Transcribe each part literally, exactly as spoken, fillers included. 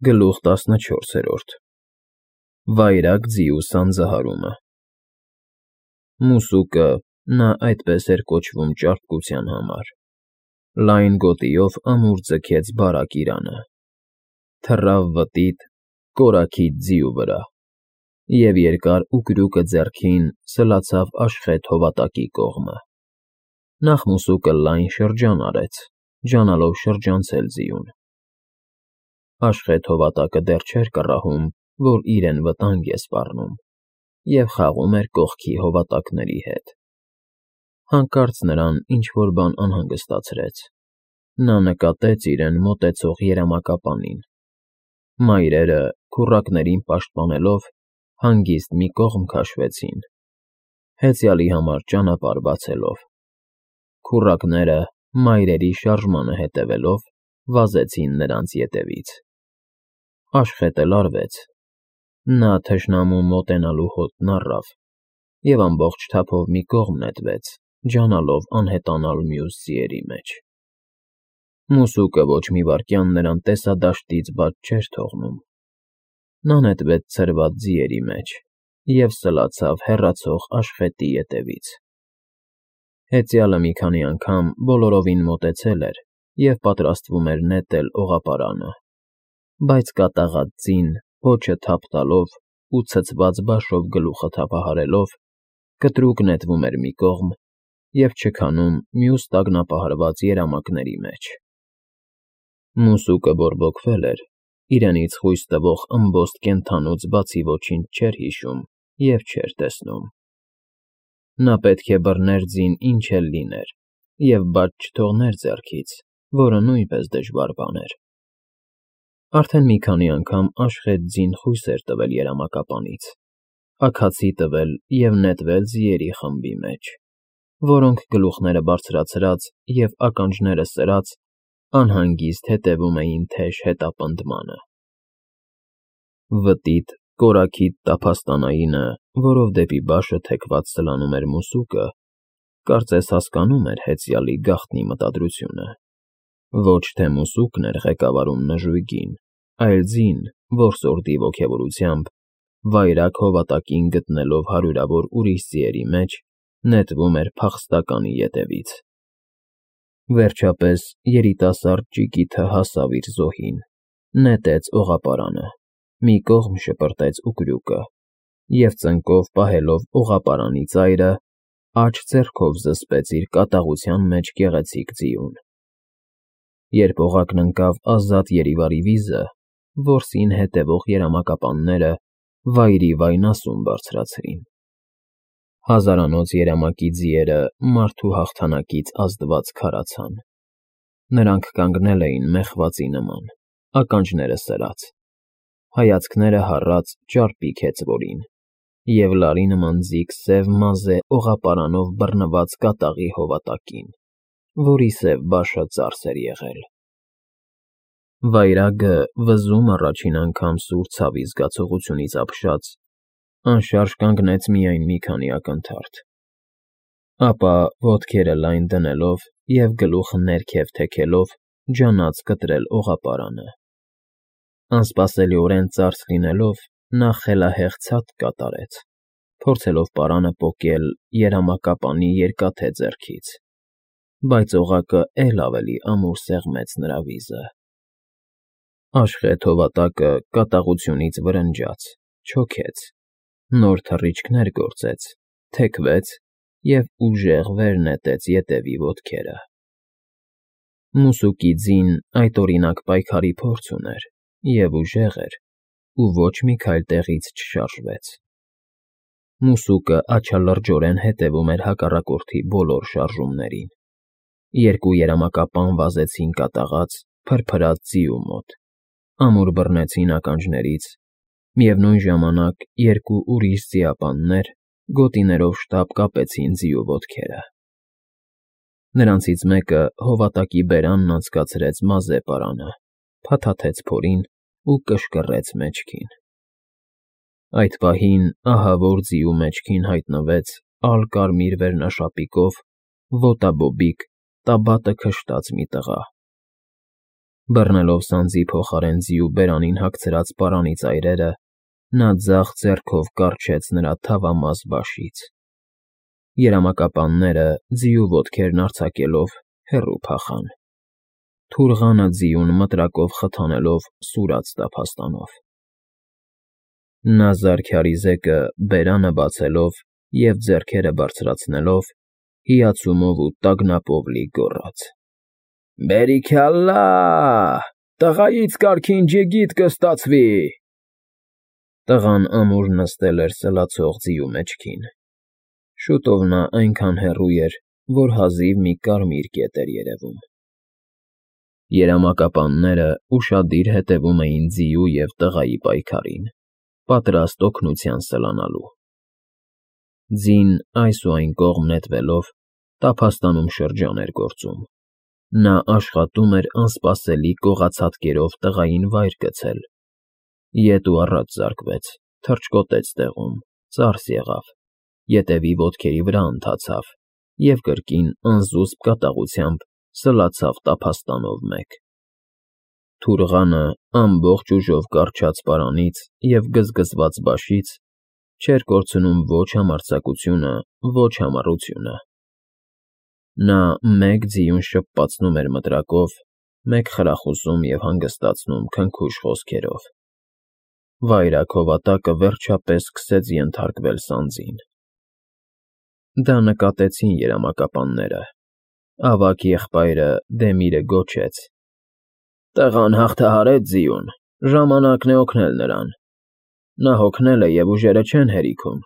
Գլուխ տասնչորսերորդ Վայրագ ձիու սանձահարումը Մուսուկը (նա այդպես էր կոչվում ճարպկության համար) լայն գոտիով ամուր ձգեց բարակ իրանը, թռավ վտիտ, կորաքիթ ձիու վրա և երկար ուկրուկը ձեռքին սլացավ Աշխեթ հովատակի կողմը. նախ մուսուկը լայն շրջան արեց, ջանալով շրջանցել ձիուն. Աշխեթ հովատակը դեռ չէր կռահում, որ իրեն վտանգ է սպառնում, և խաղում էր կողքի հովատակների հետ. հանկարծ նրան ինչ֊որ բան անհանգստացրեց. նա նկատեց իրեն մոտեցող երամակապանին. մայրերը, քուռակներին պաշտպանելով, հանգիստ մի կողմ քաշվեցին, հեծյալի համար ճանապարհ բացելով. քուռակները, մայրերի շարժմանը հետևելով, վազեցին նրանց ետևից. Աշխեթը լարվեց. նա թշնամու մոտենալու հոտն առավ և ամբողջ թափով մի կողմ նետվեց, ջանալով անհետանալ մյուս ձիերի մեջ. Մուսուկը ոչ մի վայրկյան նրան տեսադաշտից բաց չէր թողնում. նա նետվեց ցրված ձիերի մեջ և սլացավ հեռացող Աշխեթի ետևից. հեծյալը մի քանի անգամ բոլորովին մոտեցել էր և պատրաստվում էր նետել օղապարանը, բայց կատաղած ձին, պոչը թափ տալով ու ցցված բաշով գլուխը թափահարելով, կտրուկ նետվում էր մի կողմ և չքանում մյուս տագնապահարված երամակների մեջ. Մուսուկը բորբոքվել էր, իրենից խույս տվող ըմբոստ կենդանուց բացի ոչինչ չէր հիշում և չէր տեսնում. նա պետք է բռներ ձին ինչ էլ լիներ և բաց չթողներ ձեռքից, որը նույնպես դժվար բան էր. Արդեն մի քանի անգամ Աշխեթ ձին խույս էր տվել երամակապանից, աքացի տվել և նետվել ձիերի խմբի մեջ, որոնք գլուխները բարձրացրած և ականջները սրած, անհանգիստ հետևում էին թեժ հետապնդմանը. վտիտ, կորաքիթ տափաստանայինը, որով դեպի բաշը թեքված սլանում էր մուսուկը, կարծես հասկանում էր հեծյալի գաղտնի մտադրությունը. ոչ թե մուսուկն էր ղեկավարում նժույգին, այլ ձին, որ սորդի ոգևորությամբ, վայրագ հովատակին գտնելով հարյուրավոր ուրիշ ձիերի մեջ, նետվում էր փախստականի ետևից. Վերջապես երիտասարդ ճիկիթը հասավ իր զոհին, նետեց օղապարանը, մի կողմ շպրտեց ուկրուկը և ծնկով պահելով օղապարանի ծայրը, աջ ձեռքով զսպեց իր կատաղության մեջ գեղեցիկ ձիուն. Երբ օղակն ընկավ ազատ երիվարի վիզը, որսին հետևող երամակապանները վայրիվայն ասում բարձրացրին. հազարանոց երամակի ձիերը մարդու հաղթանակից ազդված քարացան. նրանք կանգնել էին մեխվածի նման, ականջները սրած, հայացքները հառած ճարպիկ հեծվորին և լարի նման ձիգ սև մազե օղապարանով բռնված կատաղի հովատակին, որի սև բաշը ծարս էր եղել. Վայրագը, վզում առաջին անգամ սուր ցավի զգացողությունից ապշած, անշարժ կանգնեց միայն մի քանի ակնթարթ, ապա, ոտքերը լայն դնելով և գլուխը ներքև թեքելով, ջանաց կտրել օղապարանը. անսպասելիորեն ծարս լինելով, նա խելահեղ ցատկ կատարեց, փորձելով պարանը պոկել երամակապանի երկաթե ձեռքից, բայց օղակը էլ ավելի ամուր սեղմեց նրա վիզը. Աշխեթ հովատակը կատաղությունից վրնջաց, չոքեց, նոր թռիչքներ գործեց, թեքվեց և ուժեղ վեր նետեց ետևի ոտքերը. Մուսուկի ձին այդօրինակ պայքարի փորձ ուներ և ուժեղ էր ու ոչ մի քայլ տեղից չշարժվեց. Մուսուկը աջալրջորեն հետևում էր հակառակորդի բոլոր շարժումներին. երկու երամակապան վազեցին կատաղած, փրփրած ձիու մոտ, ամուր բռնեցին ականջներից, միևնույն ժամանակ երկու ուրիշ ձիապաններ գոտիներով շտապ կապեցին ձիու ոտքերը. նրանցից մեկը հովատակի բերանն անցկացրեց մազե պարանը, փաթաթեց փորին ու կշկռեց մեջքին. Այդ պահին ահավոր ձիու մեջքին հայտնվեց ալ֊կարմիր վերնաշապիկով, ոտաբոբիկ, տաբատը քշտած մի տղա. Բռնելով սանձի փոխարեն ձիու բերանին հագցրած պարանի ծայրերը, նա ձախ ձեռքով կառչեց նրա թավամաս բաշից։ Երամակապանները, ձիու ոտքերն արձակելով, հեռու փախան։ Թուրղանը ձիուն մտրակով խթանելով սուրաց տափաստանով։ Նա զարքյարի բերանը բացելով և ձեռքերը բարձրացնելով, հիացումով ու տագնապով լի գոռաց. «Բերիքյալլա, տղայից կարգին ջիգիտ կստացվի»։ Տղան ամուր նստել էր սլացող ձիու մեջքին։ Շուտով նա այնքան հեռու էր, որ հազիվ մի կարմիր կետ էր երևում։ Երամակապանները ուշադիր հետևում էին ձիու և տղայի պայքարին, պատրաստ օգնության սլանալու։ Ձին այս ու այն կողմ նետվելով, տափաստանում շրջան էր գործում։ Նա աշխատում էր անսպասելի կողացատկերով տղային վայր գցել։ Ետ ու առաջ զարկվեց, թռչկոտեց տեղում, ծարս եղավ, ետևի ոտքերի վրա ընթացավ և կրկին անզուսպ կատաղությամբ սլացավ տափաստանով մեկ։ Թուրղանը ամբողջ ուժով կառչած պարանից և գզգզված բաշից չէր կորցնում ոչ համարձակությունը, ոչ համառությունը։ Նա մեկ ձիուն շպպացնում էր մտրակով, մեկ խրախուսում և հանգստացնում քնքուշ խոսքերով։ Վայրագհովատակը վերջապես սկսեց ենթարկվել սանձին։ Դա նկատեցին երամակապանները։ Ավագ եղբայրը Դեմիրը գոչեց. «Տղան հաղթահարեց ձիուն, ժամանակն է օգնել նրան։ Նա հոգնել է և ուժերը չեն հերիքում,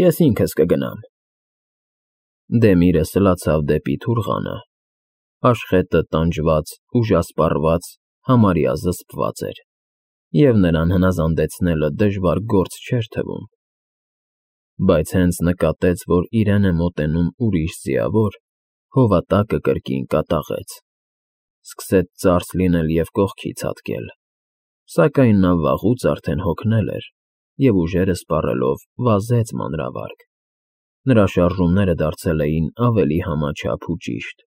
ես ինքս կգնամ»։ Դեմիրը սլացավ դեպի թուրղանը։ Աշխետը տանջված, ուժասպառված, համարյա զսպված էր, և նրան հնազանդեցնելը դժվար գործ չէր թվում։ Բայց հենց նկատեց, որ իրեն է մոտենում ուրիշ ձիավոր, հովատակը կրկին կատաղեց։ Սկսեց ծարս լինել և կողքի ցատկել, սակայն նա վաղուց արդեն հոգնել էր և ուժերը սպառելով վազեց մանրավարգ։ Նրա շարժումները դարձել էին ավելի համաչափ ու ճիշտ։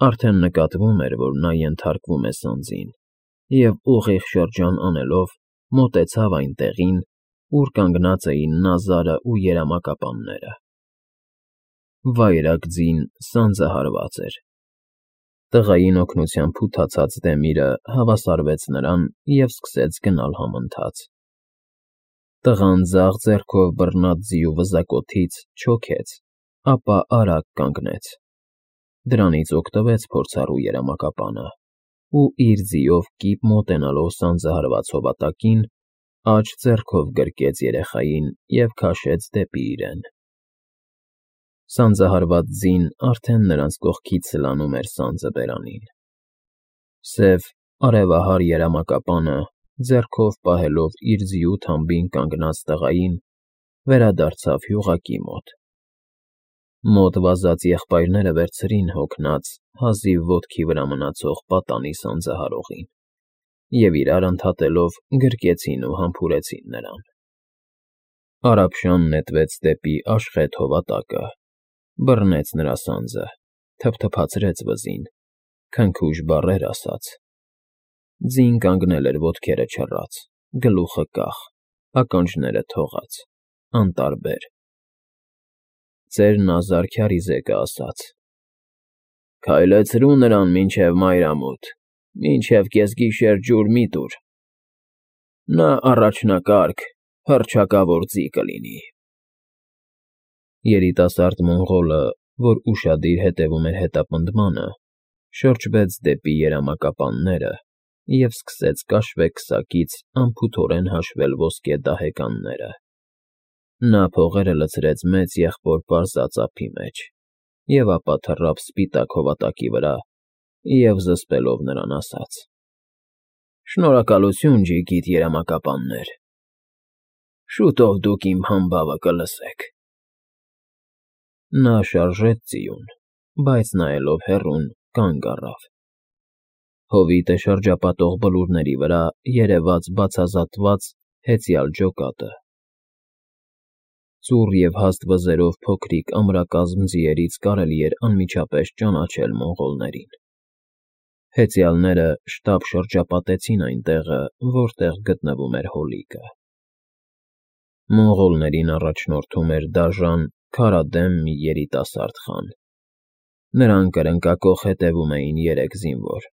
Արդեն նկատվում էր, որ նա ենթարկվում է սանձին, և ուղիղ շրջան անելով մոտեցավ այն տեղին, ուր կանգնած էին Նազարը ու երամակապանները։ Վայրագ ձին սանձը հարված էր։ Տղային օգնության փութացած Դեմիրը հավասարվեց նրան և սկսեց գնալ համընթաց։ Տղան ձախ ձեռքով բռնած ձիու վզակոթից չոքեց, ապա արագ կանգնեց։ Դրանից օգտվեց փորձառու երամակապանը ու իր ձիով կիպ մոտենալով սանձը հարված հովատակին, աջ ձեռքով գրկեց երեխային և քաշեց դեպի իրեն։ Սանձահարված ձին արդեն նրանց կողքից սլանում էր սանձը բերանին։ Սև, արևահար երամակապանը, ձեռքով պահելով իր ձիու թամբին կանգնած տղային, վերադարձավ հյուղակի մոտ։ Մոտ վազած եղբայրները վերցրին հոգնած, հազիվ ոտքի վրա մնացող պատանի սանձահարողին և իրար ընդհատելով գրկեցին ու համբուրեցին նրան։ Արաբշան նետվեց դեպի Աշխետ հովատակը, բռնեց նրա սանձը, թփթփացրեց վզին, քնքուշ բառեր ասաց։ Ձին կանգնել էր ոտքերը չռած, գլուխը կախ, ականջները թողած, անտարբեր։ Ծեր Նազար քյարիզեկը ասաց. «Քայլեցրու նրան մինչև մայրամուտ, մինչև կեսգիշեր ջուր մի՛ տուր։ Նա առաջնակարգ, հռչակավոր ձի կլինի»։ Երիտասարդ մոնղոլը, որ ուշադիր հետևում էր հետապնդմանը, շրջվեց դեպի երամակապանները և սկսեց կաշվե քսակից անփութորեն հաշվել ոսկե դահեկանները։ Նա փողերը լցրեց մեծ եղբոր պարզած ափի մեջ և ապա թռավ սպիտակ հովատակի վրա և զսպելով նրան ասաց. «Շնորհակալություն, ջիգիտ երամակապաններ, շուտով դուք իմ համբավը կլսեք»։ Նա շարժեց ձիուն, բայց նայելով հեռուն, կանգ առավ։ Հովիտը շրջապատող բլուրների վրա երևաց բացազատված, հեծյալ ջոկատը։ Ծուռ և հաստ վզերով փոքրիկ ամրակազմ ձիերից կարելի էր անմիջապես ճանաչել մոնղոլներին։ Հեծյալները շտապ շրջապատեցին այն տեղը, որտեղ գտնվում էր հոլիկը։ Մոնղոլներին առաջնորդում էր դաժան, քարադեմ մի երիտասարդ խան։ Նրան կրնկակոխ հետևում էին երեք զինվոր։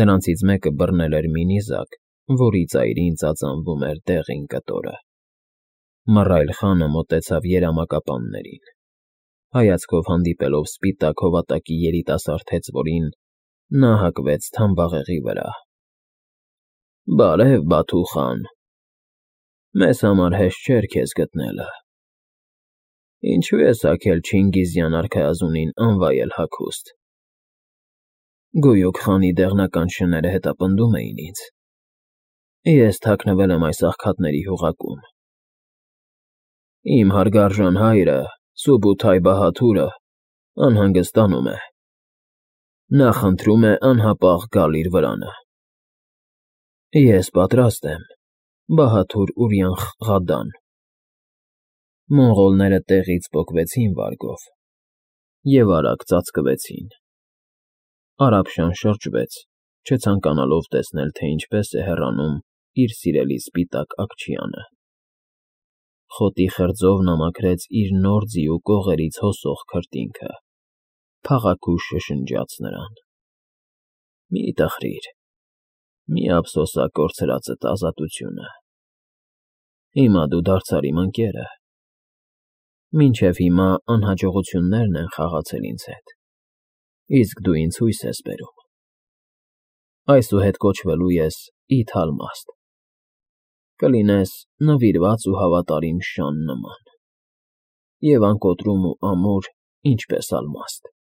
Նրանցից մեկը բռնել էր մի նիզակ, որի ծայրին ծածանվում էր դեղին կտորը։ Մռայլ խանը մոտեցավ երամակապաններին։ Հայացքով հանդիպելով սպիտակ հովատակի երիտասարդ հեծվորին, նա հակվեց թամբաղեղի վրա։ ֊ Բարև, Բաթու խան, մեզ համար հեշտ չէր քեզ գտնելը։ Ինչու ես հագել Չինգիզյան արքայազունին անվայել հագուստ։ Գույուք խանի դեղնական շները հետապնդում էին ինձ։ Ես թաքնվել եմ այս աղքատների հյուղակում։ Իմ հարգարժան հայրը, Սուբութայ Բահադուրը, անհանգստանում է։ Նա խնդրում է անհապաղ գալ իր վրանը։ Ես պատրաստ եմ, Բահադուր Ուրիանխղադան։ Մոնղոլները տեղից պոկվեցին վարգով և արագ ծածկվեցին։ Արաբշան շրջվեց, չցանկանալով տեսնել, թե ինչպես է հեռանում իր սիրելի սպիտակ աքչյանը։ Խոտի խրձով նա մաքրեց իր նոր ձիու կողերից հոսող քրտինքը, փաղաքուշ շշնջաց նրան. Մի տխրիր, մի ափսոսա կորցրածդ ազատությունը։ Հիմա դու դարձար իմ ընկերը։ Մինչև հիմա անհաջողություններն են խաղացել ինձ հետ, իսկ դու ինձ հույս ես բերում։ Այսուհետ կոչվելու ես Իթ Ալմաստ, կլինես նվիրված ու հավատարիմ շան նման, և անկոտրում ու ամուր, ինչպես ալմաստ։